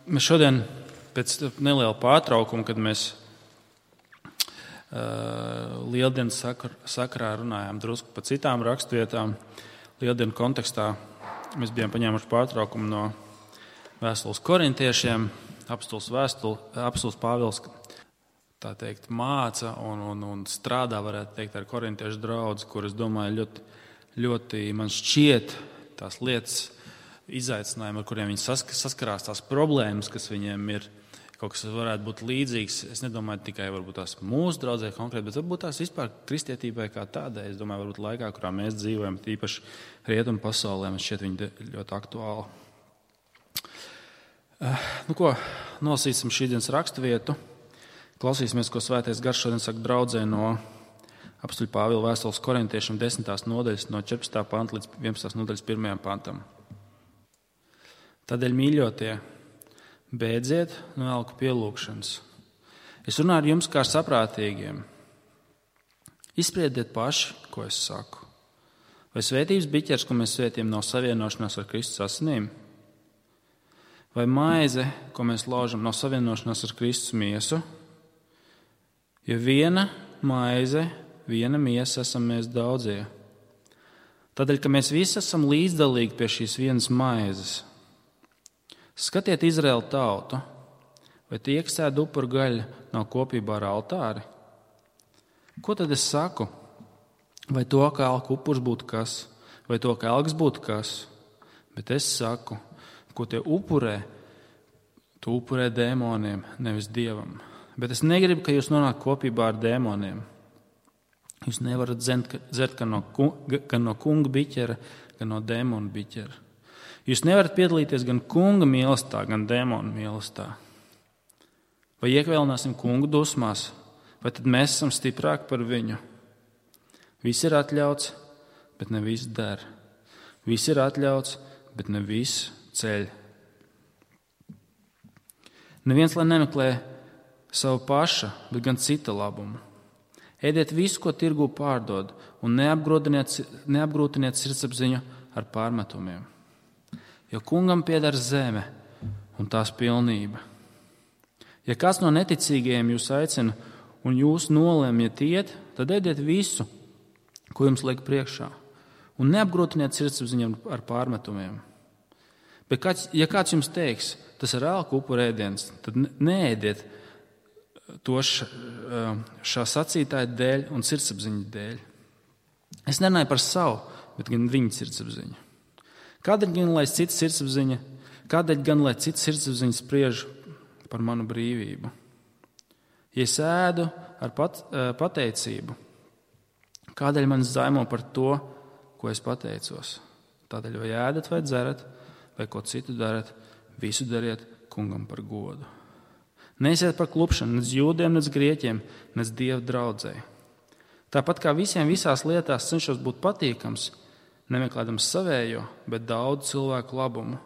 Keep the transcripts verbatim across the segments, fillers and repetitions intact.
mēs šodien pēc neliela pārtraukuma, kad mēs uh, Lieldienas sakarā runājām drusku par citām rakstvietām, Lieldienu kontekstā mēs bijām paņēmuši pārtraukumu no vēstules korintiešiem, apostols vēstule, apostols Pāvils, tā teikt, māca un, un, un strādā, varētu teikt, ar korintiešu draudzi, kur, es domāju, ļoti, ļoti man šķiet tās lietas, izaicinājumi, ar kuriem viņi saskarās, tās problēmas, kas viņiem ir, kaut kas varētu būt līdzīgs. Es nedomāju tikai varbūt tās mūsu draudzē konkrēti, bet varbūt tās vispār kristietībai kā tādai. Es domāju, varbūt laikā, kurā mēs dzīvojam, tīpaši rietumu pasaulē, man šķiet viņi ļoti aktuāli. Nu ko, nolasīsim šīdienas raksturvietu. Klausīsimies, ko Svētais Gars šodien saka draudzē no apostoļa Pāvila vēstules korintiešiem desmitās nodaļas, no četrpadsmitā panta līdz vienpadsmitās nodaļas pirmajam pantam. Tādēļ, mīļotie, beidziet no elku pielūgšanas. Es runāju ar jums kā saprātīgiem. Izspriediet paši, ko es saku. Vai svētības biķers, ko mēs svētījam, nav savienošanās ar Kristus asinīm? Vai maize, ko mēs laužam, nav savienošanās ar Kristus miesu? Jo viena maize, viena miesa esam mēs daudzie. Tādēļ, ka mēs visi esam līdzdalīgi pie šīs vienas maizes. Skatiet Izraēlu tautu, vai tie, kas ēd upuru gaļu, nav kopībā ar altāri? Ko tad es saku? Vai to, ka elku upurs būtu kas, vai to, ka elks būtu kas? Bet es saku, ko tie upurē, tu upurē dēmoniem, nevis Dievam. Bet es negribu, ka jūs nonāk kopībā ar dēmoniem. Jūs nevarat dzert gan no, gan no kunga biķera, gan no dēmona biķera. Jūs nevarat piedalīties gan kunga mīlestā, gan dēmona mīlestā. Vai iekvēlināsim kungu dusmās, vai tad mēs esam stiprāki par viņu? Viss ir atļauts, bet ne viss der. Viss ir atļauts, bet ne viss ceļ. Neviens lai nemeklē savu paša, bet gan cita labumu. Ēdiet visu, ko tirgū pārdod, un neapgrūtiniet, neapgrūtiniet sirdsapziņu ar pārmetumiem. Jo kungam pieder zeme un tās pilnība. Ja kāds no neticīgajiem jūs aicina un jūs nolēmiet iet, tad ēdiet visu, ko jums liek priekšā, un neapgrūtiniet sirdsapziņu ar pārmetumiem. Bet kāds, ja kāds jums teiks, tas ir elku upuru ēdiens, tad neēdiet to šā sacītāja dēļ un sirdsapziņas dēļ. Es nerunāju par savu, bet gan viņa sirdsapziņu. Kādēļ gan, lai cita sirdsapziņa, kādēļ gan, lai cita sirdsapziņa spriež par manu brīvību? Ja es ēdu ar pat, pateicību, kādēļ man zaimo par to, ko es pateicos? Tādēļ vai ēdat vai dzerat, vai ko citu darat, visu dariet kungam par godu. Neesiet par klupšanu, nec jūdiem, nec grieķiem, nec Dieva draudzei. Tāpat kā visiem visās lietās cenšos būt patīkams, nemeklēdams savējo, bet daudz cilvēku labumu,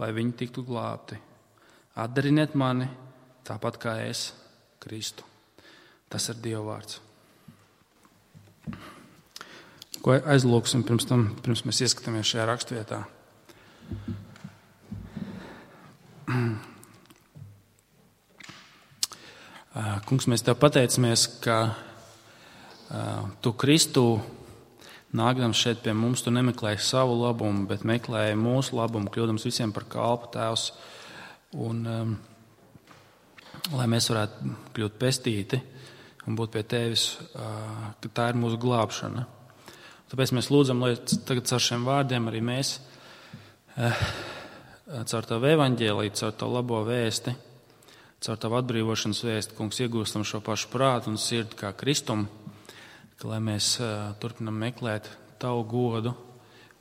lai viņi tiktu glābti. Atdariniet mani, tāpat kā es, Kristu. Tas ir Dieva vārds. Ko aizlūksim pirms tam, pirms mēs ieskatāmies šajā rakstvietā? Kungs, mēs Tev pateicamies, ka Tu Kristu nākdams šeit pie mums, Tu nemeklēji savu labumu, bet meklēji mūsu labumu, kļūdams visiem par kalpu, Tēvs. Un, um, lai mēs varētu kļūt pestīti un būt pie Tevis, uh, ka tā ir mūsu glābšana. Tāpēc mēs lūdzam, lai tagad caur šiem vārdiem arī mēs, uh, caur Tavu evaņģēliju, caur Tavu labo vēsti, caur Tavu atbrīvošanas vēsti, Kungs, iegūstam šo pašu prātu un sirdi kā Kristumu, ka lai mēs uh, turpinam meklēt Tavu godu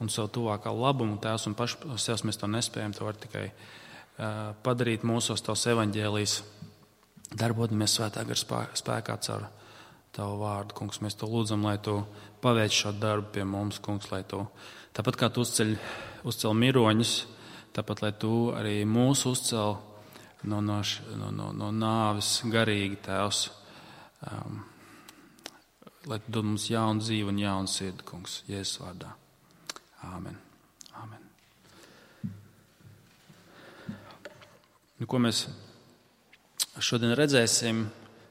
un savu tuvākā labumu, Tēvs, un paši sev mēs to nespējam, Tu vari tikai uh, padarīt mūsos Tavs evaņģēlijs, darbodamies Svētā gara spēkā caur Tavu vārdu, Kungs. Mēs To lūdzam, lai Tu paveic šo darbu pie mums, Kungs, lai Tu, tāpat kā Tu uzceļ, uzcel miroņus, tāpat, lai Tu arī mūs uzcel no, no, no, no, no nāves garīgi, Tēvs. Um, lai Tu dod mums jaunu dzīvi un jaunu sirdi, Kungs, Jēzus vārdā. Āmen. Āmen. Nu, ko mēs šodien redzēsim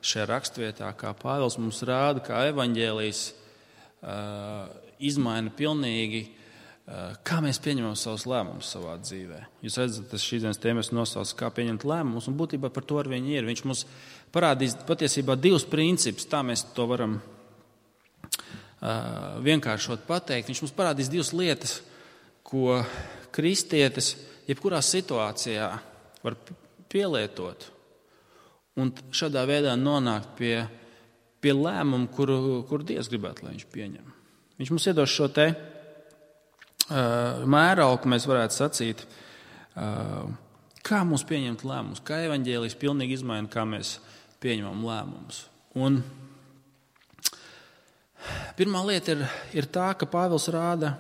šajā rakstvietā, kā Pāvils mums rāda, kā evaņģēlijs uh, izmaina pilnīgi, uh, kā mēs pieņemam savus lēmumus savā dzīvē. Jūs redzat, tas šīs dienas tēmas nosauc, kā pieņemt lēmumus, un būtībā par to ar viņu ir. Viņš mums parādīs patiesībā divus principus, tā mēs to varam uh, vienkāršot pateikt. Viņš mums parādīs divas lietas, ko kristietis jebkurā situācijā var pielietot un šādā veidā nonākt pie, pie lēmumu, kuru, kuru Dievs gribētu, lai viņš pieņem. Viņš mums iedos šo te uh, mērauku, mēs varētu sacīt, uh, kā mums pieņemt lēmumus, kā evaņģēlijs pilnīgi izmaina, kā mēs pieņemam lēmumus. Un pirmā lieta ir, ir tā, ka Pāvils rāda,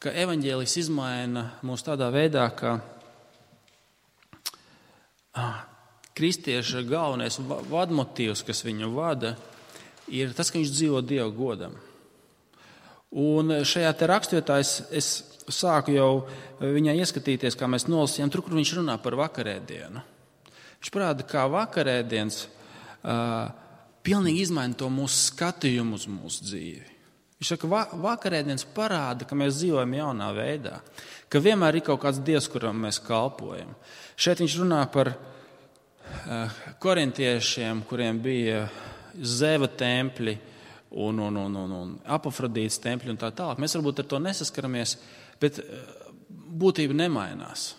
ka evaņģēlijs izmaina mūs tādā veidā, ka ah, kristieša galvenais vadmotīvs, kas viņu vada, ir tas, ka viņš dzīvo Dieva godam. Un šajā te rakstvietā es, es sāku jau viņā ieskatīties, kā mēs nolasījām, tur, kur viņš runā par vakarēdienu. Viņš parāda, kā vakarēdienas uh, pilnīgi izmaina to mūsu skatījumu uz mūsu dzīvi. Viņš saka, va, vakarēdienas parāda, ka mēs dzīvojam jaunā veidā, ka vienmēr ir kaut kāds Dievs, kuram mēs kalpojam. Šeit viņš runā par korintiešiem, kuriem bija Zeva tempļi un, un, un, un, un Apafrodītas tempļi un tā tālāk. Mēs varbūt ar to nesaskaramies, bet būtība nemainās.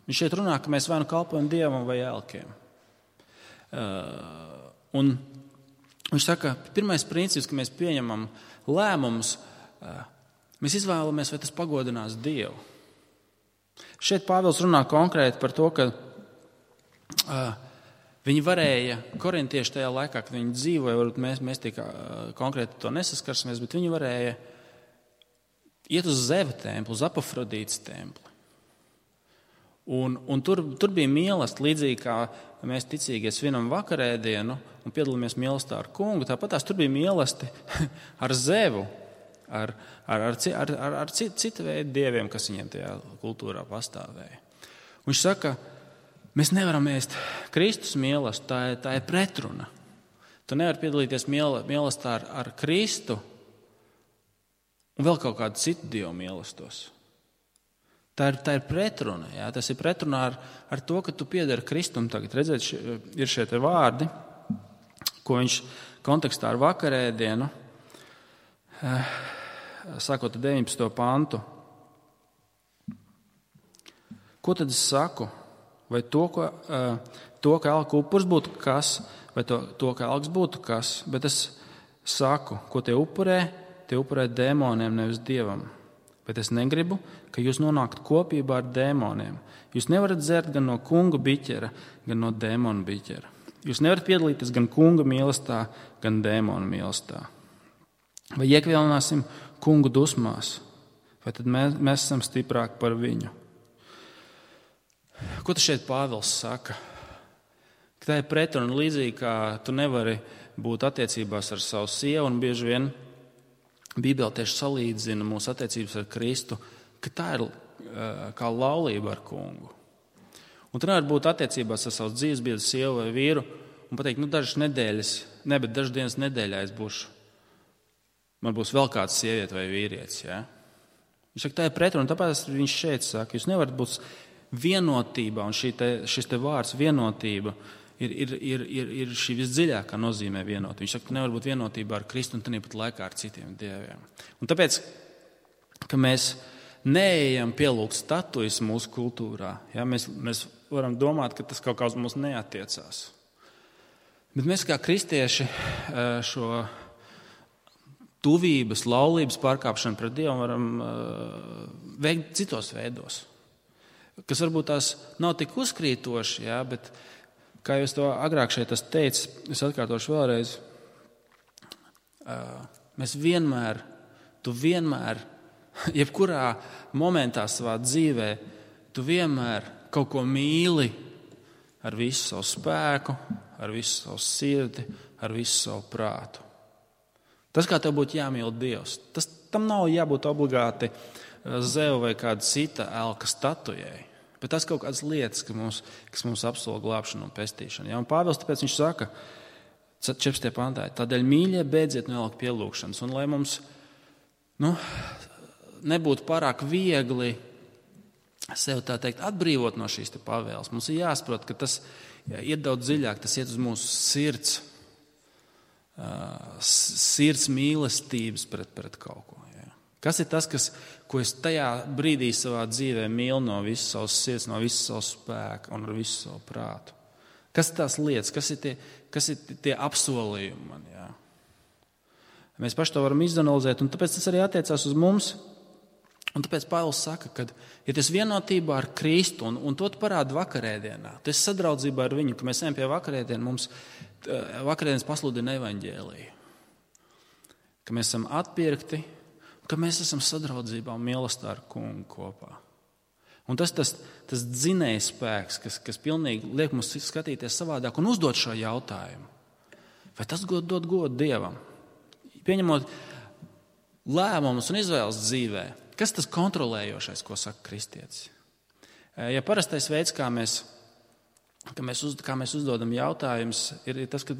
Viņš šeit runā, ka mēs vai nu kalpojam Dievam vai elkiem. Un viņš saka, pirmais princips, ka mēs pieņemam lēmumus, mēs izvēlamies, vai tas pagodinās Dievu. Šeit Pāvils runā konkrēti par to, ka viņi varēja, korintieši tajā laikā, kad viņi dzīvoja, varbūt mēs, mēs tik konkrēti to nesaskarsimies, bet viņi varēja iet uz Zeva templi, uz Apafrodītas templi. Un, un tur, tur bija mīlestība, līdzīgi kā mēs ticīgie svinam vakarēdienu un piedalāmies mīlestībā ar kungu, tāpat tās tur bija mīlestība ar Zevu, ar, ar, ar, ar, ar, ar citu, citu veidu dieviem, kas viņiem tajā kultūrā pastāvēja. Un viņš saka, mēs nevaram ēst Kristus mīlestību, tā, tā ir pretruna. Tu nevari piedalīties mīlestībā ar, ar Kristu un vēl kaut kādu citu dievu mīlestos. Tā ir, tā ir pretruna. Jā? Tas ir pretrunā ar, ar to, ka tu piedari Kristum. Tagad redzēt, ši, ir šie te vārdi, ko viņš kontekstā ar vakarēdienu, sākot ar deviņpadsmito pantu. Ko tad es saku? Vai to, ka, to, ka elku upurs būtu kas, vai to, to, ka elks būtu kas, bet es saku, ko tie upurē, tie upurē dēmoniem, nevis Dievam. Bet es negribu, ka jūs nonāktu kopībā ar dēmoniem. Jūs nevarat dzert gan no kunga biķera, gan no dēmona biķera. Jūs nevarat piedalīties gan kunga mīlestībā, gan dēmona mīlestībā. Vai iekvilināsim kungu dusmās, vai tad mēs, mēs esam stiprāki par viņu? Ko tas šeit Pāvils saka? Ka tā ir pretruna līdzīgi, kā tu nevari būt attiecībās ar savu sievu, un bieži vien Bībele tieši salīdzina mūsu attiecības ar Kristu, ka tā ir kā laulība ar kungu. Un tu nevari būt attiecībās ar savu dzīvesbiedru, sievu vai vīru un pateikt, nu dažas nedēļas, ne, bet dažas dienas nedēļā es būšu, man būs vēl kāds sieviete vai vīrietis. Ja? Viņš saka, tā ir pretruna, tāpēc viņš šeit saka, jūs nevarat būt vienotībā, un šī te, šis te vārds vienotība ir, ir, ir, ir, ir šī visdziļākā nozīmē vienotība. Viņš saka, ka nevar būt vienotībā ar Kristu un tāpat laikā ar citiem dieviem. Un tāpēc, ka mēs neejam pielūgt statujas mūsu kultūrā, ja, mēs, mēs varam domāt, ka tas kaut kā uz mums neatiecās. Bet mēs kā kristieši šo tuvības, laulības pārkāpšanu pret Dievu varam veikt citos veidos, kas varbūt tās nav tik uzkrītoši, jā, bet, kā jūs to agrāk šeit esat teicis, es atkārtošu vēlreiz, mēs vienmēr, tu vienmēr, jebkurā momentā savā dzīvē, tu vienmēr kaut ko mīli ar visu savu spēku, ar visu savu sirdi, ar visu savu prātu. Tas, kā tev būtu jāmīl Dievs, tas, tam nav jābūt obligāti Zeva vai kāda cita elka statujai. Bet tas kaut kādas lietas, kas mums, kas mums apsola glābšanu un pestīšanu. Ja? Un Pāvils tāpēc viņš saka, četrpadsmitajā pantā, tādēļ mīļie beidziet nelikt pielūgšanas. Un lai mums nu, nebūtu pārāk viegli sev tā teikt atbrīvot no šīs te pavēles, mums ir jāsaprot, ka tas jā, iet daudz dziļāk, tas iet uz mūsu sirds, uh, sirds mīlestības pret, pret kaut ko. Jā. Kas ir tas, kas, ko es tajā brīdī savā dzīvē mīlu no visas savas sirds, no visas savas spēka un ar visu savu prātu? Kas ir tās lietas, kas ir tie, kas ir tie apsolījumi man? Jā. Mēs paši to varam izanalizēt, un tāpēc tas arī attiecās uz mums. Un tāpēc Pāvils saka, ka, ja tu esi vienotībā ar Kristu, un, un to tu parādi vakarēdienā, tu esi sadraudzībā ar viņu, ka mēs ejam pie vakarēdienu, mums vakarēdienas pasludina evaņģēliju. Ka mēs esam atpirkti, ka mēs esam sadraudzībā un mīlestībā ar Kungu kopā. Un tas tas, tas dzinējs spēks, kas, kas pilnīgi liek mums skatīties savādāk un uzdot šo jautājumu. Vai tas god, dod godu Dievam? Pieņemot lēmumus un izvēles dzīvē, kas tas kontrolējošais, ko saka kristietis? Ja parastais veids, kā mēs, kā mēs, uz, kā mēs uzdodam jautājumus, ir, ir tas, ka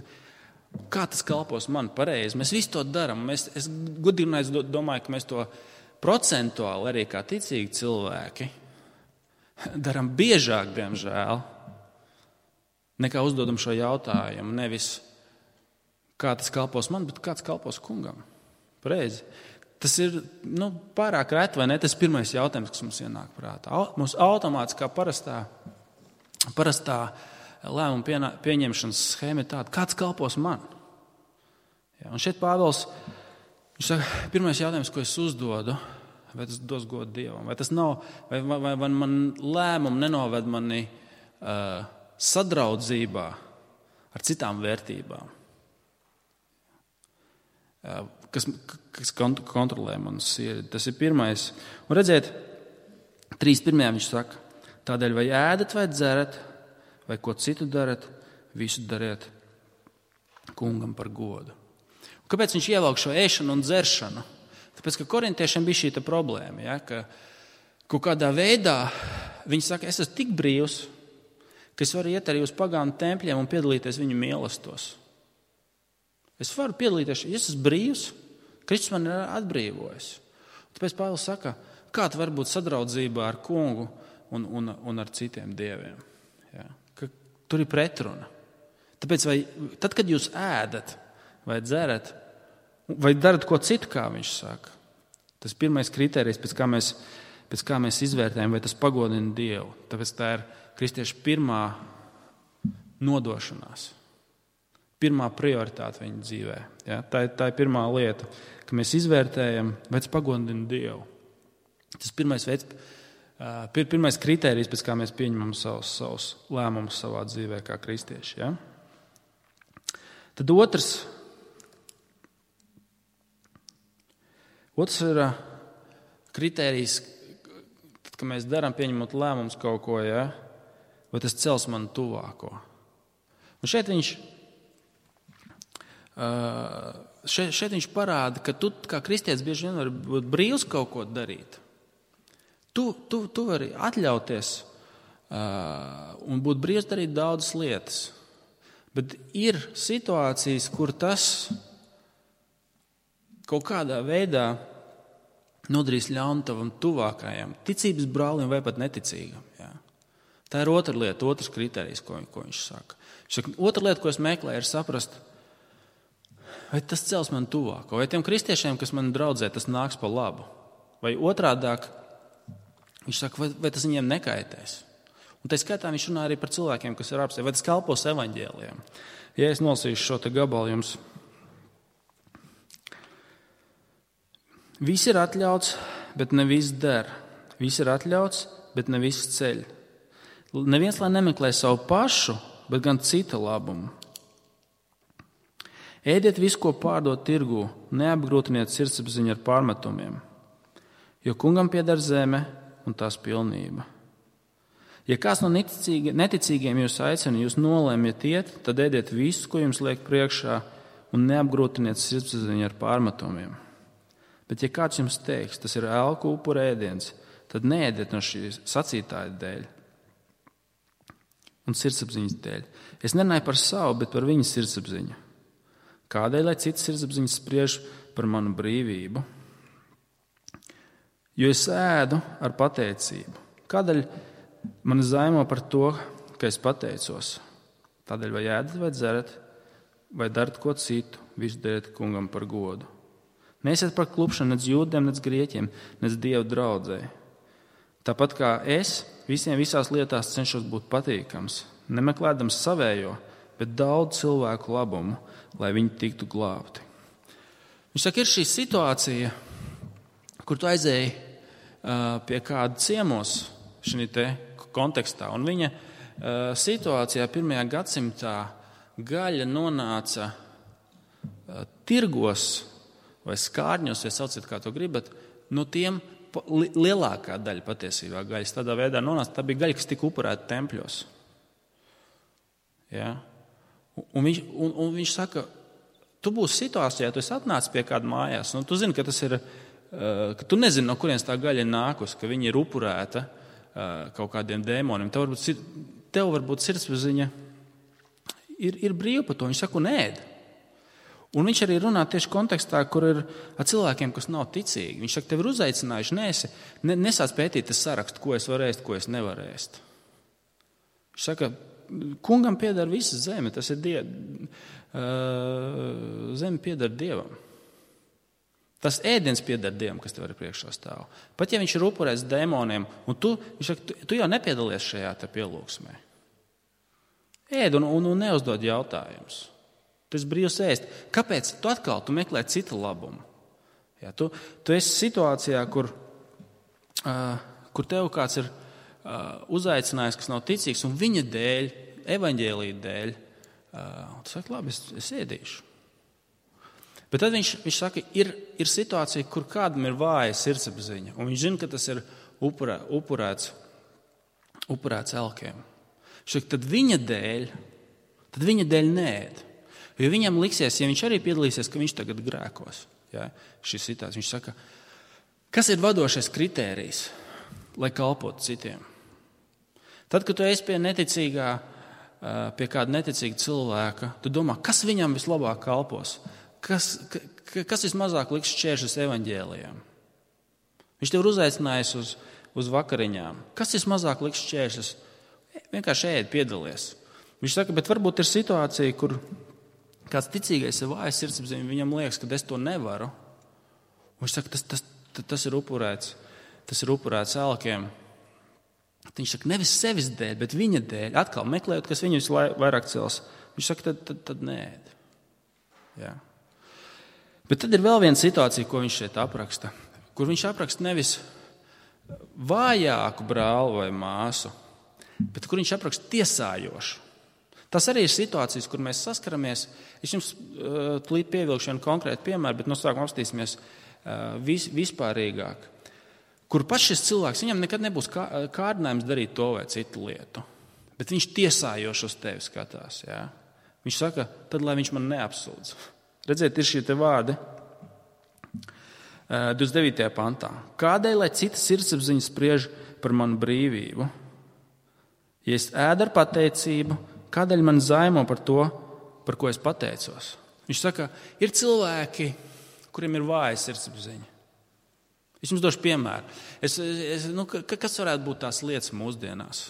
kā tas kalpos man pareizi. Mēs visu to darām. Mēs, es godīgi domāju, ka mēs to procentuāli arī kā ticīgi cilvēki darām biežāk, diemžēl, nekā uzdodam šo jautājumu. Nevis kā tas kalpos man, bet kā tas kalpos Kungam. Pareizi. Tas ir nu, pārāk reti, vai ne? Tas ir pirmais jautājums, kas mums ienāk prātā. Mums automātiski kā parastā, parastā lēmuma pieņemšanas schēma ir tāda, kāds kalpos man? Ja, un šeit Pāvils, viņš saka, pirmais jautājums, ko es uzdodu, vai tas dos godu Dievam, vai tas nav, vai, vai, vai man lēmumu nenoved mani uh, sadraudzībā ar citām vērtībām. Uh, Kas, kas kontrolē manu sirdi. Tas ir pirmais. Un redziet, trīs pirmajā viņš saka, tādēļ vai ēdat vai dzerat, vai ko citu darat, visu dariet Kungam par godu. Un kāpēc viņš ievelk šo ēšanu un dzeršanu? Tāpēc, ka korintiešiem bija šī problēma, ja, ka kaut kādā veidā viņi saka, es esmu tik brīvs, ka es varu iet arī uz pagānu tempļiem un piedalīties viņu mīlestos. Es varu piedalīties, ja es esmu brīvs, Kristus man ir atbrīvojis. Tāpēc Pāvils saka, kā tu vari būt sadraudzībā ar Kungu un, un, un ar citiem dieviem. Ja? Ka tur ir pretruna. Tāpēc, vai, tad, kad jūs ēdat vai dzerat, vai darat ko citu, kā viņš saka, tas pirmais kriterijs, pēc kā mēs, pēc kā mēs izvērtējam, vai tas pagodina Dievu. Tāpēc tā ir kristiešu pirmā nodošanās. Pirmā prioritāte viņa dzīvē. Ja? Tā, ir, tā ir pirmā lieta, ka mēs izvērtējam, vai tas pagodina Dievu. Tas pirmais veids, pir, pirmais kritērijs, pēc kā mēs pieņemam savus, savus lēmumus savā dzīvē kā kristieši. Ja? Tad otrs, otrs ir kritērijs, tad, kad mēs darām pieņemot lēmumus kaut ko, ja? Vai tas cels manu tuvāko. Un šeit viņš Uh, šeit, šeit viņš parāda, ka tu kā kristietis bieži vien vari būt brīvs kaut ko darīt. Tu, tu, tu vari atļauties uh, un būt brīvs darīt daudzas lietas. Bet ir situācijas, kur tas kaut kādā veidā nodarīs ļaunu tavam tuvākajam, ticības brālim vai pat neticīgam. Jā. Tā ir otra lieta, otrs kriterijs, ko, ko viņš saka. Viņš saka. Otra lieta, ko es meklēju, ir saprast, vai tas cels man tuvāko, vai tiem kristiešiem, kas man draudzē, tas nāks pa labu. Vai otrādāk, viņš saka, vai, vai tas viņiem nekaitēs. Un tā skaitā viņš runā arī par cilvēkiem, kas ir apsē, vai tas kalpos evaņģēlijam. Ja es nolasīšu šo te gabalu jums. Viss ir atļauts, bet ne viss der. Viss ir atļauts, bet ne viss ceļ. Neviens, lai nemeklē savu pašu, bet gan cita labumu. Ēdiet visu, ko pārdod tirgū, neapgrūtiniet sirdsapziņu ar pārmetumiem, jo Kungam pieder zeme un tās pilnība. Ja kāds no neticīgiem jūs aicina, jūs nolēmiet iet, tad ēdiet visu, ko jums liek priekšā, un neapgrūtiniet sirdsapziņu ar pārmetumiem. Bet ja kāds jums teiks, tas ir elku upura ēdiens, tad neēdiet no šīs sacītāja dēļ, un sirdsapziņas dēļ. Es nerunāju par savu, bet par viņa sirdsapziņu. Kādēļ, lai citas sirdsapziņas spriež par manu brīvību? Jo es ēdu ar pateicību. Kādēļ man zaimo par to, ka es pateicos? Tādēļ vai ēdat, vai dzerat, vai darat ko citu, visu dariet kungam par godu. Neesiet par klupšanu nec jūdiem, nec grieķiem, nec dievu draudzē. Tāpat kā es visiem visās lietās cenšos būt patīkams, nemeklēdams savējo, bet daudz cilvēku labumu, lai viņi tiktu glābti. Viņš saka, ir šī situācija, kur tu aizēji uh, pie kāda ciemos šī te kontekstā, un viņa uh, situācijā pirmajā gadsimtā gaļa nonāca uh, tirgos vai skārņos, ja sauciet, kā to gribat, no tiem lielākā daļa patiesībā gaļas tādā veidā nonāca. Tā bija gaļa, kas tika upurēta tempļos. Ja? Un, viņš, un, un viņš saka, tu būsi situācijā, tu esi atnācis pie kāda mājās, un tu zini, ka tas ir, ka tu nezini, no kurienes tā gaļa ir nākus, ka viņa ir upurēta kaut kādiem dēmoniem. Tev varbūt, tev varbūt sirdsapziņa ir, ir brīva par to. Viņš saka, un ēd. Un viņš arī runā tieši kontekstā, kur ir ar cilvēkiem, kas nav ticīgi. Viņš saka, tev ir uzaicinājuši, nesi, ne, nesāc pētīt tas sarakstu, ko es varu ēst, ko es nevaru ēst. Viņš saka, kungam pieder visa zeme, tas ir die, uh, zeme pieder Dievam. Tas ēdiens pieder Dievam, kas tev ir priekšā stāv. Pat ja viņš ir upurēts dēmoniem, un tu, viņš saka, tu, tu jau nepiedalies šajā te pielūgsmē. Ēd un, un, un neuzdod jautājumus. Tu esi brīvs ēst. Kāpēc? Tu atkal tu meklē citu labumu. Ja, tu, tu esi situācijā, kur, uh, kur tev kāds ir uh, uzaicinājis, kas nav ticīgs, un viņa dēļ, evaņģēlija dēļ, uh, tu saki, labi, es, es ēdīšu. Bet tad viņš, viņš saka, ir, ir situācija, kur kādam ir vāja sirdsapziņa, un viņš zina, ka tas ir upurē, upurēts, upurēts elkiem. Viņš saka, tad viņa dēļ, tad viņa dēļ neēd. Jo viņam liksies, ja viņš arī piedalīsies, ka viņš tagad grēkos. Ja, šis situācija. Viņš saka, kas ir vadošais kritērijs, lai kalpotu citiem? Tad, kad tu esi pie neticīgā, pie kāda neticīga cilvēka, tu domā, kas viņam vislabāk kalpos? Kas, kas vismazāk liks šķēršus evaņģēlijām? Viņš tev ir uzaicinājis uz, uz vakariņām. Kas vismazāk liks šķēršus? Vienkārši ēd, piedalies. Viņš saka, bet varbūt ir situācija, kur kāds ticīgais ir vājs sirdsapziņa, viņam liekas, ka es to nevaru. Un viņš saka, tas, tas, tas ir upurēts, tas ir upurēts elkiem. Viņš saka, nevis sevis dēļ, bet viņa dēļ. Atkal meklējot, kas viņu vairāk cels. Viņš saka, tad, tad, tad neēd. Jā. Bet tad ir vēl viena situācija, ko viņš šeit apraksta. Kur viņš apraksta nevis vājāku brāli vai māsu, bet kur viņš apraksta tiesājošu. Tas arī ir situācijas, kur mēs saskaramies. Es jums uh, tūlīt pievilkšu vienu konkrētu piemēru, bet no sākuma apstīsimies uh, vis, vispārīgāk. Kur pats šis cilvēks, viņam nekad nebūs kā, kārdinājums darīt to vai citu lietu. Bet viņš tiesājoši uz tevi skatās. Jā. Viņš saka, tad lai viņš man neapsūdz. Redziet, ir šie te vārdi uh, divdesmit devītajā pantā. Kādēļ, lai citas sirdsapziņas spriež par manu brīvību? Ja es ēdu ar pateicību, kādēļ man zaimo par to, par ko es pateicos? Viņš saka, ir cilvēki, kuriem ir vāja sirdsapziņa. Es jums došu piemēru. Es, es, nu, kas varētu būt tās lietas mūsdienās?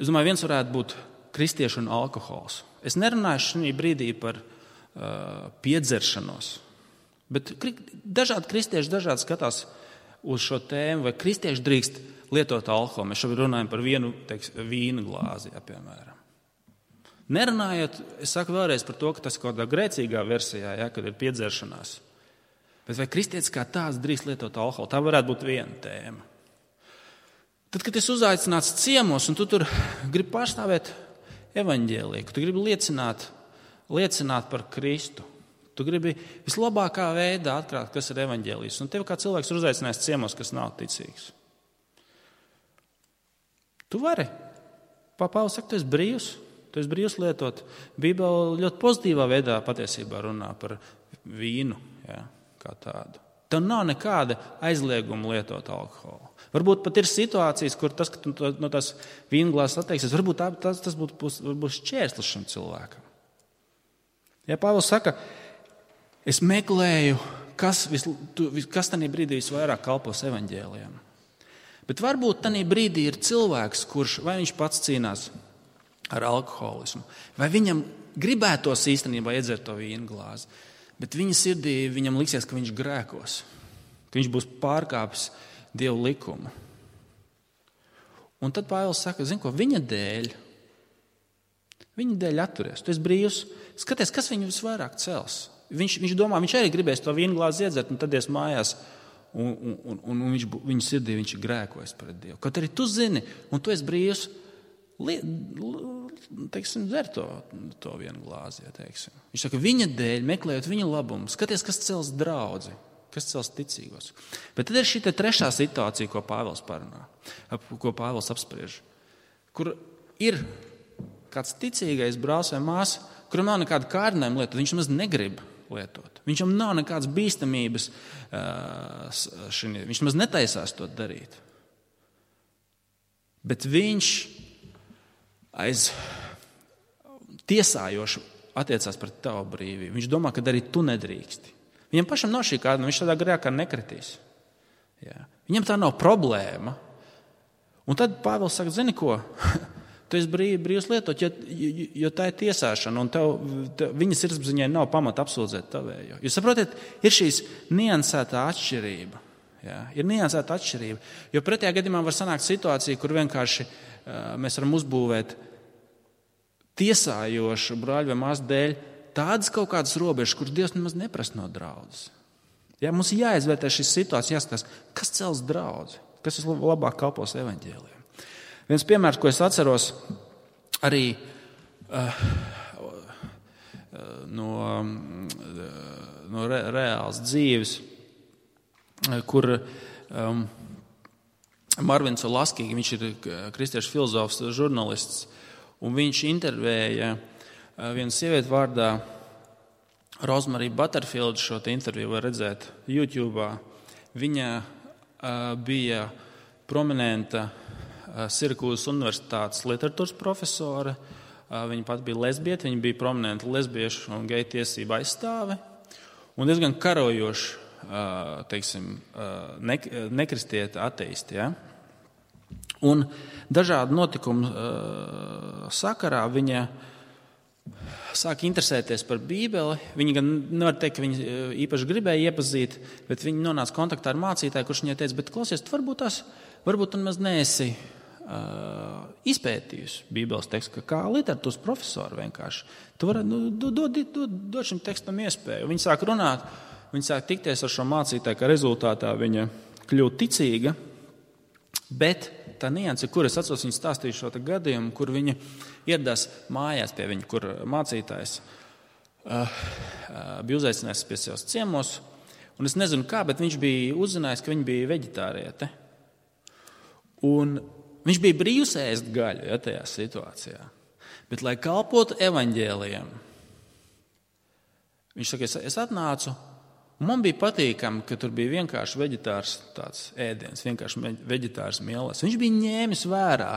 Es domāju, viens varētu būt kristiešu un alkohols. Es nerunāju šī brīdī par uh, piedzeršanos, bet dažādi kristieši dažādi skatās uz šo tēmu, vai kristieši drīkst lietot alkoholu. Mēs šobrīd runājam par vienu, teiks, vīna glāzi, ja, piemēram. Nerunājot, es saku vēlreiz par to, ka tas kaut kādā grēcīgā versijā, ja, kad ir piedzeršanās. Bet vai kristietis kā tāds drīkst lietot alkoholu? Tā varētu būt viena tēma. Tad, kad es uzaicināts ciemos, un tu tur gribi pārstāvēt evaņģēliju, tu gribi liecināt, liecināt par Kristu, tu gribi vislabākā veidā atklāt, kas ir evaņģēlijs, un tev kā cilvēks ir uzaicinājis ciemos, kas nav ticīgs. Tu vari. Pāvils saka, tu esi brīvs. Tu esi brīvs lietot. Bībele ļoti pozitīvā veidā patiesībā runā par vīnu, ja, kā tādu. Tev nav nekāda aizlieguma lietot alkoholu. Varbūt pat ir situācijas, kur tas, ka tu no tās vīnglāzes atteiksies, varbūt tā, tas, tas būtu, būs, būs šķērslis šim cilvēkam. Ja Pāvils saka, es meklēju, kas, vis, tu, kas tanī brīdī visvairāk kalpos evaņģēlijam. Bet varbūt tanī brīdī ir cilvēks, kurš vai viņš pats cīnās ar alkoholismu, vai viņam gribētos īstenībā iedzert to vīnglāzi, bet viņa sirdī viņam liksies, ka viņš grēkos, ka viņš būs pārkāpis Dievu likumu. Un tad Pāvils saka, zini ko, viņa dēļ, viņa dēļ atturies. Tu esi brīvs, skaties, kas viņu visvairāk cels. Viņš, viņš domā, viņš arī gribēs to vīnglāzi iedzert, un tad ies mājās, un, un, un, un viņš, viņa sirdī viņš ir grēkojis pret Dievu. Kaut arī tu zini, un tu esi brīvs, li, teiksim, dzer to, to vīnglāzi. Ja, teiksim. Viņš saka, viņa dēļ, meklējot viņa labumu, skaties, kas cels draudzi. Kas cels ticīgos. Bet tad ir šī trešā situācija, ko Pāvils parunā, ko Pāvils apspriež, kur ir kāds ticīgais brālis vai māsa, kuram nav nekāda kārdinājuma lietot, viņš maz negrib lietot. Viņam nav nekādas bīstamības, viņš maz netaisās to darīt. Bet viņš aiz tiesājoši attiecās pret tavu brīvību. Viņš domā, ka arī tu nedrīksti. Viņam pašam nav šī kāda, viņš tādā grēkā nekritīs. Jā. Viņam tā nav problēma. Un tad Pāvils saka, zini ko, tu esi brīv, brīvs lietot, jo, jo, jo tā ir tiesāšana, un tev, tev, viņa sirdsapziņai nav pamata apsūdzēt tavējo. Jūs saprotat, ir šīs niansētā atšķirība. Jā. Ir niansēta atšķirība. Jo pretējā gadījumā var sanākt situācija, kur vienkārši uh, mēs varam uzbūvēt tiesājošu brāļu vai māsu dēļ tādas kaut kādas robežas, kuras Dievs nemaz neprasa no draudzes. Ja, mums ir jāizvērtē šīs situācijas, jāskatās, kas cels draudzi, kas vislabāk kalpos evaņģēlijam. Viens piemērs, ko es atceros arī uh, no, no re, reāls dzīves, kur um, Marvins Olaskīgi, viņš ir kristiešu filozofs, žurnālists, un viņš intervēja vienu sievieti vārdā Rosemary Butterfield, šo te interviju var redzēt YouTube. Viņa uh, bija prominenta uh, Sirkūzas universitātes literatūras profesore. Uh, viņa pat bija lesbieta, viņa bija prominenta lesbiešu un geju tiesību aizstāve. Un diezgan karojoši, uh, teiksim, uh, ne, nekristieta ateisti. Ja? Un dažādu notikumu uh, sakarā viņa sāk interesēties par Bībeli. Viņa gan nevar teikt, ka viņa īpaši gribēja iepazīt, bet viņa nonāca kontaktā ar mācītāju, kurš viņai teica, bet klausies, tu varbūt tās, varbūt tu nemaz neesi uh, izpētījusi Bībeles tekstu, kā literatūras profesori vienkārši. Tu vari, nu, dod, dod, dod šim tekstam iespēju. Viņa sāk runāt, viņa sāk tikties ar šo mācītāju, ka rezultātā viņa kļūt ticīga, bet tā nianse, kur es atceros, viņa stāstīju šo gadījumu, kur viņa ieradās mājās pie viņa, kur mācītājs uh, uh, bija uzaicinājis pie sevis ciemos, un es nezinu kā, bet viņš bija uzzinājis, ka viņa bija veģetāriete. Un viņš bija brīvs ēst gaļu, ja, tajā situācijā. Bet, lai kalpotu evaņģēlijam, viņš saka, es, es atnācu, un man bija patīkami, ka tur bija vienkārši veģetārs tāds ēdiens, vienkārši veģetārs mielas. Viņš bija ņēmis vērā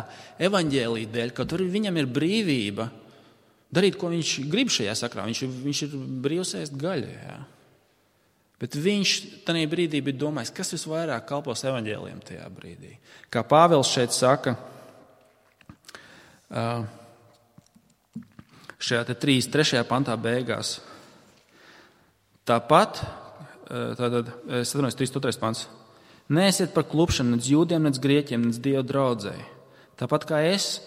evaņģēlija dēļ, ka tur viņam ir brīvība darīt, ko viņš grib šajā sakrā. Viņš, viņš ir brīvs ēst gaļu. Jā. Bet viņš tajā brīdī bija domājis, kas visvairāk kalpos evaņģēlijam tajā brīdī. Kā Pāvils šeit saka, šajā te trīs, trešajā pantā beigās. Tāpat, tātad, es atvainojos, trīs, otrais pants. Neesiet par klupšanu nec jūdiem, nec grieķiem, nec Dievu draudzēji. Tāpat kā es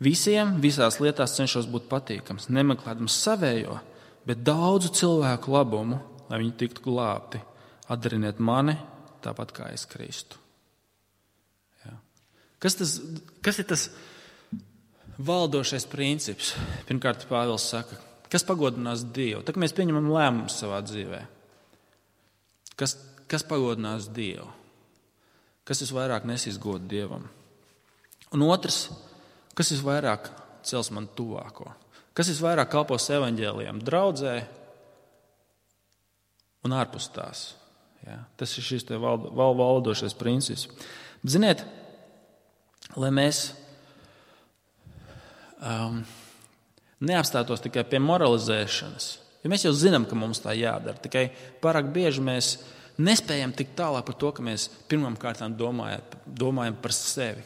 visiem visās lietās cenšos būt patīkams, nemeklēdams savējo, bet daudzu cilvēku labumu, lai viņi tiktu glābti. Atdariniet mani, tāpat kā es Kristu. Jā. Kas, tas, kas ir tas valdošais princips? Pirmkārt, Pāvils saka, kas pagodinās Dievu? Tā kā mēs pieņemam lēmumus savā dzīvē. Kas, kas pagodinās Dievu? Kas visvairāk nesīs godu Dievam? Un otrs, kas visvairāk cels man tuvāko? Kas visvairāk kalpos evaņģēlijam? Draudzē un ārpus tās. Ja? Tas ir šis val, val, valdošais princips. Ziniet, lai mēs um, neapstātos tikai pie moralizēšanas, jo mēs jau zinām, ka mums tā jādara, tikai pārāk bieži mēs nespējam tik tālāk par to, ka mēs pirmām kārtām domājam, domājam par sevi,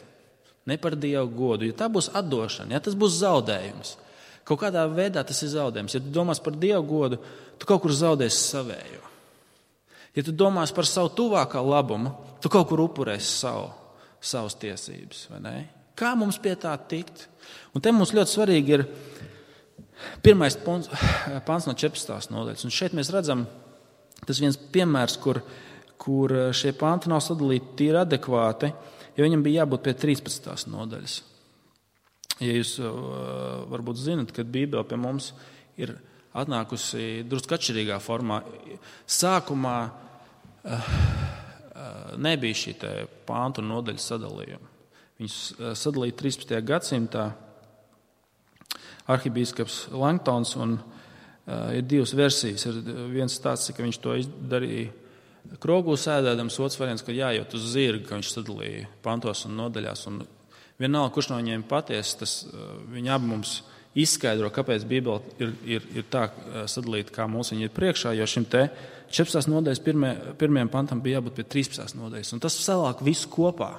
ne par Dievu godu, jo tā būs atdošana, ja? Tas būs zaudējums. Kaut kādā veidā tas ir zaudējums. Ja tu domās par Dievu godu, tu kaut kur zaudēsi savējo. Ja tu domās par savu tuvākā labumu, tu kaut kur upurēsi savu, savas tiesības. Vai ne? Kā mums pie tā tikt? Un te mums ļoti svarīgi ir pirmais pants no četrpadsmitās nodaļas. Un šeit mēs redzam, tas viens piemērs, kur, kur šie panti nav sadalīti tīri adekvāti, jo viņam bija jābūt pie trīspadsmitās nodaļas. Ja jūs varbūt zinat, ka Bībele pie mums ir atnākusi drusku atšķirīgā formā. Sākumā nebija šī pāntu un nodaļu sadalījuma. Viņus sadalīja trīspadsmitajā gadsimtā arhibīskaps Langtons, un ir divas versijas. Ir viens tāds, ka viņš to darīja krogū sēdēdams, otrs variants, ka jājūt uz zirga, ka viņš sadalīja pantos un nodaļās. Un vienalga, kurš no viņiem patiesi, tas viņi abi mums izskaidro, kāpēc Bībele ir, ir, ir tā sadalīta, kā mums viņa ir priekšā, jo šim te četrpadsmitās nodaļas pirmie, pirmajam pantam bija jābūt pie trīspadsmitās nodaļas. Un tas salāk visu kopā.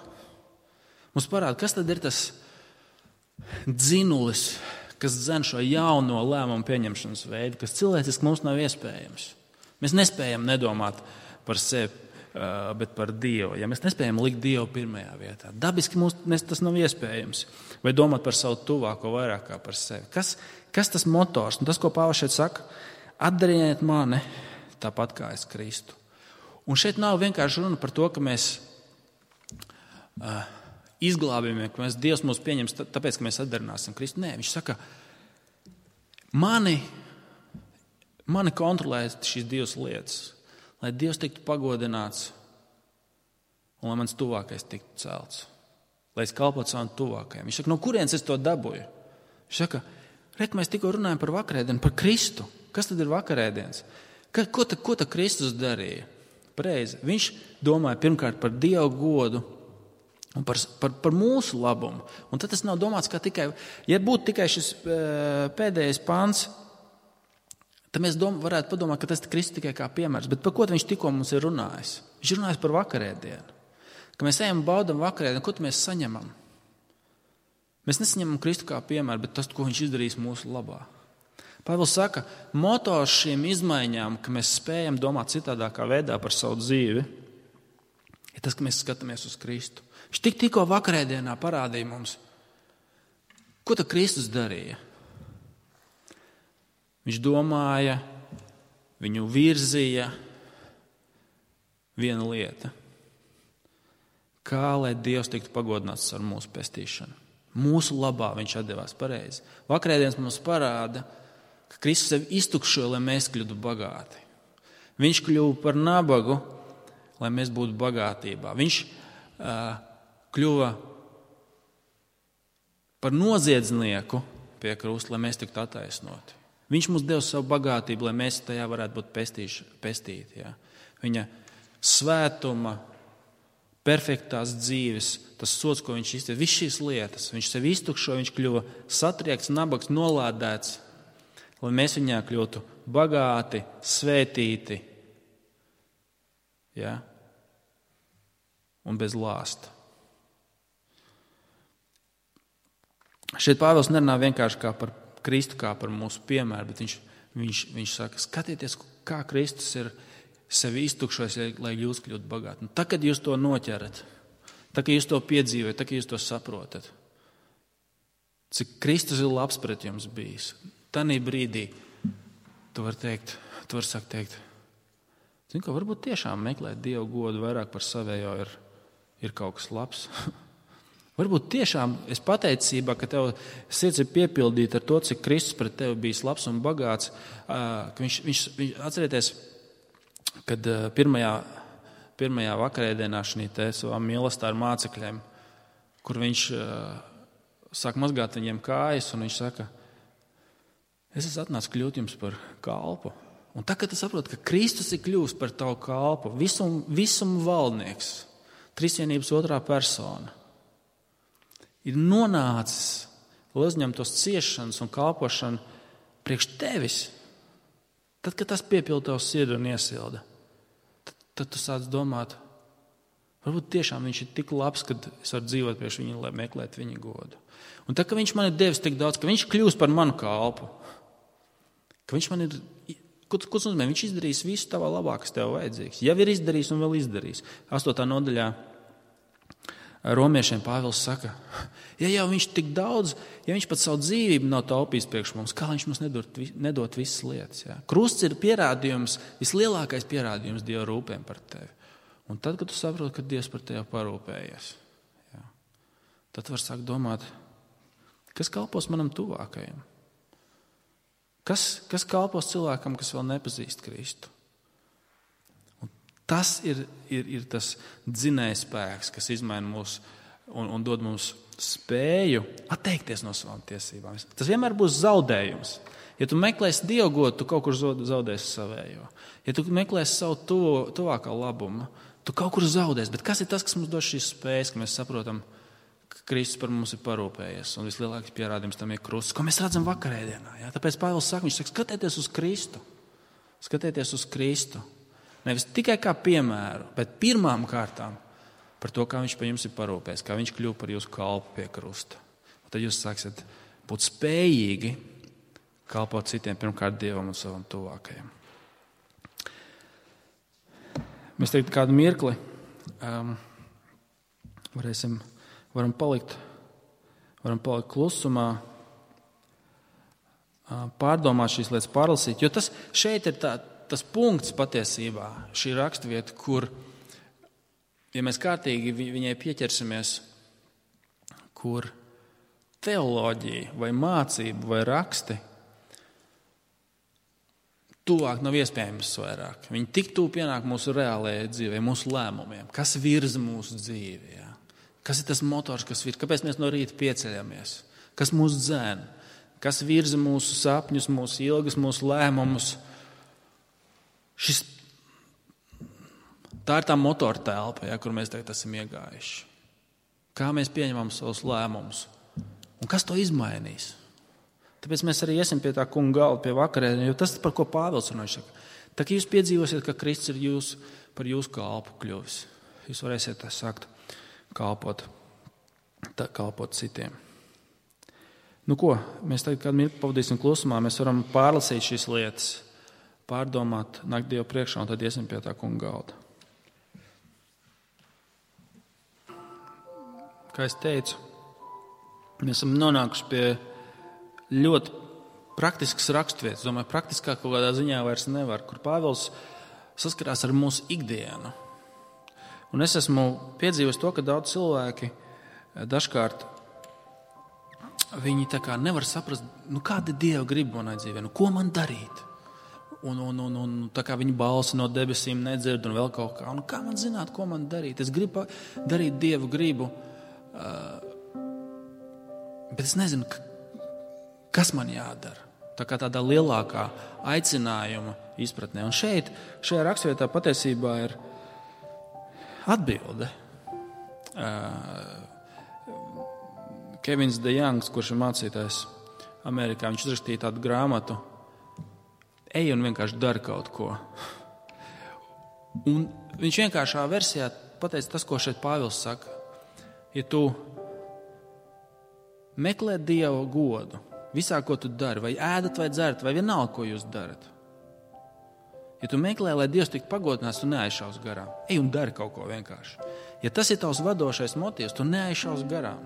Mums parāda, kas tad ir tas dzinulis, kas dzen šo jauno lēmumu pieņemšanas veidu, kas cilvēciski mums nav iespējams. Mēs nespējam nedomāt par sevi, bet par Dievu. Ja mēs nespējam likt Dievu pirmajā vietā, dabiski mums tas nav iespējams. Vai domāt par savu tuvāko vairāk kā par sevi. Kas, kas tas motors? Un tas, ko Pāvils šeit saka, atdariet mani tāpat kā es Kristu. Un šeit nav vienkārši runa par to, ka mēs uh, izglābjamies, ka mēs, Dievs mūs pieņems tāpēc, ka mēs atdarināsim Kristu. Nē, viņš saka, mani, mani kontrolē šīs divas lietas. Lai Dievs tiktu pagodināts un lai mans tuvākais tiktu celts. Lai es kalpotu savam tuvākajam. Viņš saka, no kurienes es to dabūju? Viņš saka, rek, mēs tikko runājam par vakarēdienu, par Kristu. Kas tad ir vakarēdienas? Ka, ko tad ko ta Kristus darīja? Pareizi. Viņš domāja pirmkārt par Dievu godu un par, par, par mūsu labumu. Un tad tas nav domāts kā tikai, ja būtu tikai šis pēdējais pants, tad mēs dom, varētu padomāt, ka tas ir Kristus tikai kā piemērs. Bet par ko viņš tikko mums ir runājis? Viņš ir runājis par vakarēdienu. Ka mēs ejam un baudam vakarēdienu, ko mēs saņemam? Mēs nesaņemam Kristu kā piemēru, bet tas, ko viņš izdarīs mūsu labā. Pāvils saka, motors šīm izmaiņām, ka mēs spējam domāt citādākā veidā par savu dzīvi, ir tas, ka mēs skatāmies uz Kristu. Viņš tik tikko vakarēdienā parādīja mums, ko tad Kristus darīja. Viņš domāja, viņu virzīja viena lieta. Kā lai Dievs tiktu pagodināts ar mūsu pestīšanu. Mūsu labā viņš atdevās pareizi. Vakarēdienas mums parāda, ka Kristus sevi iztukšoja, lai mēs kļūtu bagāti. Viņš kļuva par nabagu, lai mēs būtu bagātībā. Viņš uh, kļuva par noziedznieku pie krusta, lai mēs tiktu attaisnoti. Viņš mums deva savu bagātību, lai mēs tajā varētu būt pestīši, pestīti. Ja? Viņa svētuma, perfektās dzīves, tas sods, ko viņš iztiek, viss šīs lietas, viņš sevi iztukšoja, viņš kļuva satriekts, nabags, nolādēts, lai mēs viņā kļūtu bagāti, svētīti, ja? Un bez lāsta. Šeit Pāvils nerunā vienkārši kā par Kristu, kā par mūsu piemēru, bet viņš, viņš, viņš saka, skatieties, kā Kristus ir sevi iztukšojis, lai jūs kļūtu bagāti. Un tā, kad jūs to noķerat, tā, kad jūs to piedzīvojat, tā, kad jūs to saprotat, cik Kristus ir labs pret jums bijis, tanī brīdī tu vari teikt, tu vari sakt teikt, zini, ka varbūt tiešām meklēt Dievu godu vairāk par savējo ir, ir kaut kas labs. Varbūt tiešām es pateicībā, ka tev sirds ir piepildīta ar to, cik Kristus pret tevi bijis labs un bagāts, ka viņš, viņš, viņš atcerieties, kad pirmajā, pirmajā vakarēdienā šī te savā mīlestībā ar mācekļiem, kur viņš sāk mazgāt viņiem kājas, un viņš saka, es esmu atnācis kļūt jums par kalpu. Un tā, kad tu saproti, ka Kristus ir kļuvis par tavu kalpu, visum, visum valdnieks, trīsvienības otrā persona, ir nonācis, lai uzņemtu tos ciešanas un kalpošanu priekš tevis, tad, kad tas piepilda tavu sirdi un iesilda, tad, tad tu sāc domāt, varbūt tiešām viņš ir tik labs, ka es varu dzīvot priekš viņa, lai meklētu viņa godu. Un tā, ka viņš man ir devis tik daudz, ka viņš kļūst par manu kalpu, ka viņš man ir, ko tas nozīmē, viņš izdarīs visu tavā labā, kas tev vajadzīgs. Jau ir izdarījis un vēl izdarīs. Astotā nodaļā Romiešiem Pāvils saka, ja jau viņš tik daudz, ja viņš pat savu dzīvību nav taupījis priekš mums, kā viņš mums nedot, nedot visas lietas. Ja? Krusts ir pierādījums, vislielākais pierādījums Dieva rūpēm par tevi. Un tad, kad tu saproti, ka Dievs par tevi parūpējies, ja, tad var sākt domāt, kas kalpos manam tuvākajam? Kas, kas kalpos cilvēkam, kas vēl nepazīst Kristu? Un tas ir, ir, ir tas dzinējspēks, kas izmaina mūs un, un dod mums spēju atteikties no savām tiesībām. Tas vienmēr būs zaudējums. Ja tu meklēsi Dievu godu, tu kaut kur zaudēsi savējo. Ja tu meklēsi savu tuvo, tuvākā labumu, tu kaut kur zaudēsi. Bet kas ir tas, kas mums dod šīs spējas, ka mēs saprotam, ka Kristus par mums ir parūpējies, un vislielākais pierādījums tam ir krusts, ko mēs redzam vakarēdienā. Ja? Tāpēc Pāvils saka, viņš saka, skatieties uz Kristu. Skatieties uz Kristu. Nevis tikai kā piemēru, bet pirmām kārtām par to, kā viņš par jums ir parūpējies, kā viņš kļuva par jūsu kalpu pie krusta. Un tad jūs sāksiet būt spējīgi kalpot citiem, pirmkārt Dievam un savam tuvākajam. Mēs tagad kādu mirkli um, varēsim Varam palikt, varam palikt klusumā, pārdomāt šīs lietas, pārlasīt. Jo tas šeit ir tā, tas punkts patiesībā, šī raksturvieta, kur, ja mēs kārtīgi viņai pieķersimies, kur teoloģija vai mācība vai raksti tuvāk nav iespējams vairāk. Viņi tik tuvu pienāk mūsu reālajai dzīvē, mūsu lēmumiem, kas virza mūsu dzīvi. Jā. Kas ir tas motors, kas virza? Kāpēc mēs no rīta pieceļamies? Kas mūs dzēn? Kas virza mūsu sapņus, mūsu ilgas, mūsu lēmumus? Šis, tā ir tā motora telpa, ja, kur mēs tagad esam iegājuši. Kā mēs pieņemam savus lēmumus? Un kas to izmainīs? Tāpēc mēs arī iesim pie tā kunga galda, pie vakarēdienā, jo tas ir par ko Pāvils runāja. Tā kā jūs piedzīvosiet, ka Kristus ir jūs, par jūsu kalpu kļuvis, jūs varēsiet tā sākt kalpot, tā, kalpot citiem. Nu ko, mēs tagad kādu mirkli pavadīsim klusumā, mēs varam pārlasīt šīs lietas, pārdomāt, nākt Dievu priekšā un tad iesim pie tā kunga galda. Kā es teicu, mēs esam nonākuši pie ļoti praktiskas raksturvietas. Domāju, praktiskāk kaut kādā ziņā vairs nevar, kur Pāvils saskarās ar mūsu ikdienu. Un es esmu piedzīvojis to, ka daudz cilvēki dažkārt viņi tā kā nevar saprast, nu kāda ir Dieva griba manai dzīvē, nu ko man darīt? Un, un, un, un tā kā viņa balsi no debesīm nedzird un vēl kaut kā. Un kā man zināt, ko man darīt? Es gribu darīt Dievu gribu, bet es nezinu, kas man jādara. Tā kā tādā lielākā aicinājuma izpratnē. Un šeit, šajā raksturvietā patiesībā ir atbilde. Kevins De Youngs, kurš ir mācītājs Amerikā, viņš uzrakstīja tādu grāmatu Ej un vienkārši dari kaut ko. Un viņš vienkāršā versijā pateica tas, ko šeit Pāvils saka. Ja tu meklē Dieva godu visā, ko tu dari, vai ēdat vai dzerat, vai vienalga, ko jūs darat. Ja tu meklē, lai Dievs tiktu pagodināts, tu neaizšaus garām. Ej un dari kaut ko vienkārši. Ja tas ir tavs vadošais motīvs, tu neaizšaus garām.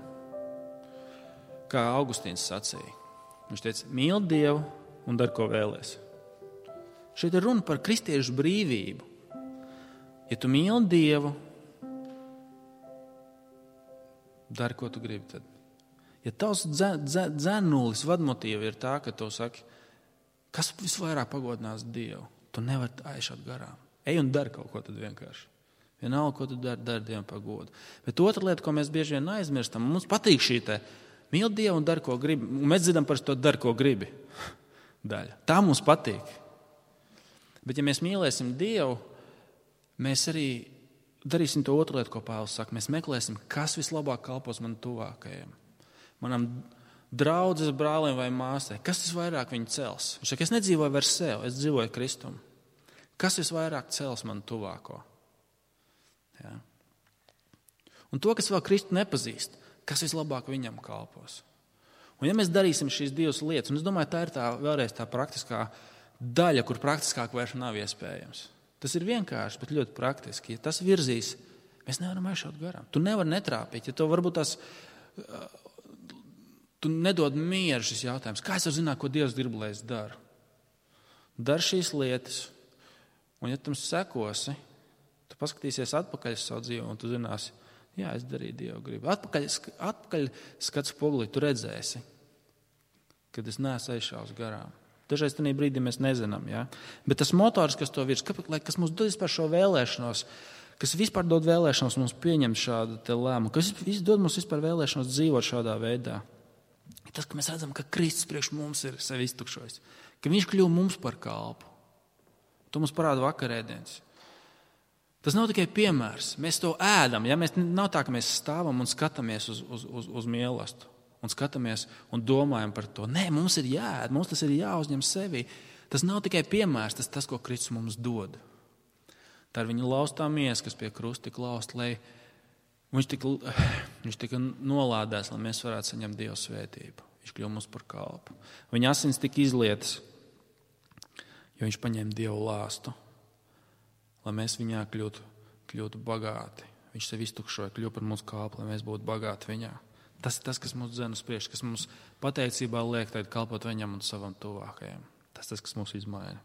Kā Augustīns sacīja. Viņš teica, mīli Dievu un dari, ko vēlies. Šeit ir runa par kristiešu brīvību. Ja tu mīli Dievu, dari, ko tu gribi tad. Ja tavs dzenulis vadmotīva ir tā, ka tu saki, kas visvairāk pagodinās Dievu, tu nevari aizšaut garām. Ej un dari kaut ko tad vienkārši. Vienalga, ko tu dari, dari Dievam par godu. Bet otra lieta, ko mēs bieži vien aizmirstam, mums patīk šī te mīli Dievu un dari, ko gribi. Un mēs dzirdam par to dari, ko gribi daļa. Tā mums patīk. Bet ja mēs mīlēsim Dievu, mēs arī darīsim to otru lietu, ko Pāvils saka. Mēs meklēsim, kas vislabāk kalpos man tuvākajiem. Manam draudzes brālim vai māsai. Kas visvairāk viņu cels? Viņš saka, es nedzīvoju vairs sev, es dzīvoju Kristum. Kas visvairāk cels man tuvāko? Ja. Un to, kas vēl Kristu nepazīst, kas vislabāk viņam kalpos. Un ja mēs darīsim šīs divas lietas, un es domāju, tā ir tā vēlreiz tā praktiskā daļa, kur praktiskāk vairs nav iespējams. Tas ir vienkārši, bet ļoti praktiski. Ja tas virzīs, mēs nevaram aizšaut garām. Tu nevari netrāpīt, ja to varbūt tās, tu nedod mieru šis jautājums. Kā es varu zināt, ko Dievs grib, lai es daru? Dar šīs lietas, un ja tam sekosi, tu paskatīsies atpakaļ uz savu dzīvi, un tu zināsi, jā, es darīju Dievu gribu. Atpakaļ, atpakaļ skats pogulī, tu redzēsi, kad es neesmu aizšaus garām. Dažreiz tajā brīdī mēs nezinām, ja? Bet tas motors, kas to virs, kas mums dod vispār šo vēlēšanos, kas vispār dod vēlēšanos mums pieņemt šādu te lēmumu, kas dod mums vispār vēlēšanos dzīvot šādā veidā. Tas, ka mēs redzam, ka Kristus priekš mums ir sevi iztukšojis, ka viņš kļuva mums par kalpu. To mums parāda vakarēdienas. Tas nav tikai piemērs. Mēs to ēdam. Ja? Mēs, nav tā, ka mēs stāvam un skatāmies uz, uz, uz, uz mīlestību. Un skatāmies un domājam par to. Nē, mums ir jāēd, mums tas ir jāuzņem sevi. Tas nav tikai piemērs, tas tas, ko Kristus mums dod. Tā ir viņa laustā miesa, kas pie krusta tika lausta, lai viņš tika, viņš tika nolādēts, lai mēs varētu saņemt Dieva svētību. Viņš kļuva mums par kalpu. Viņa asins tika izlietas, jo viņš paņēma Dievu lāstu, lai mēs viņā kļūtu, kļūtu bagāti. Viņš sevi iztukšoja, kļuva par mūsu kalpu, lai mēs būtu bagāti viņā. Tas ir tas, kas mūs dzen uz priekšu, kas mums pateicībā liek kalpot viņam un savam tuvākajam. Tas ir tas, kas mūs izmaina.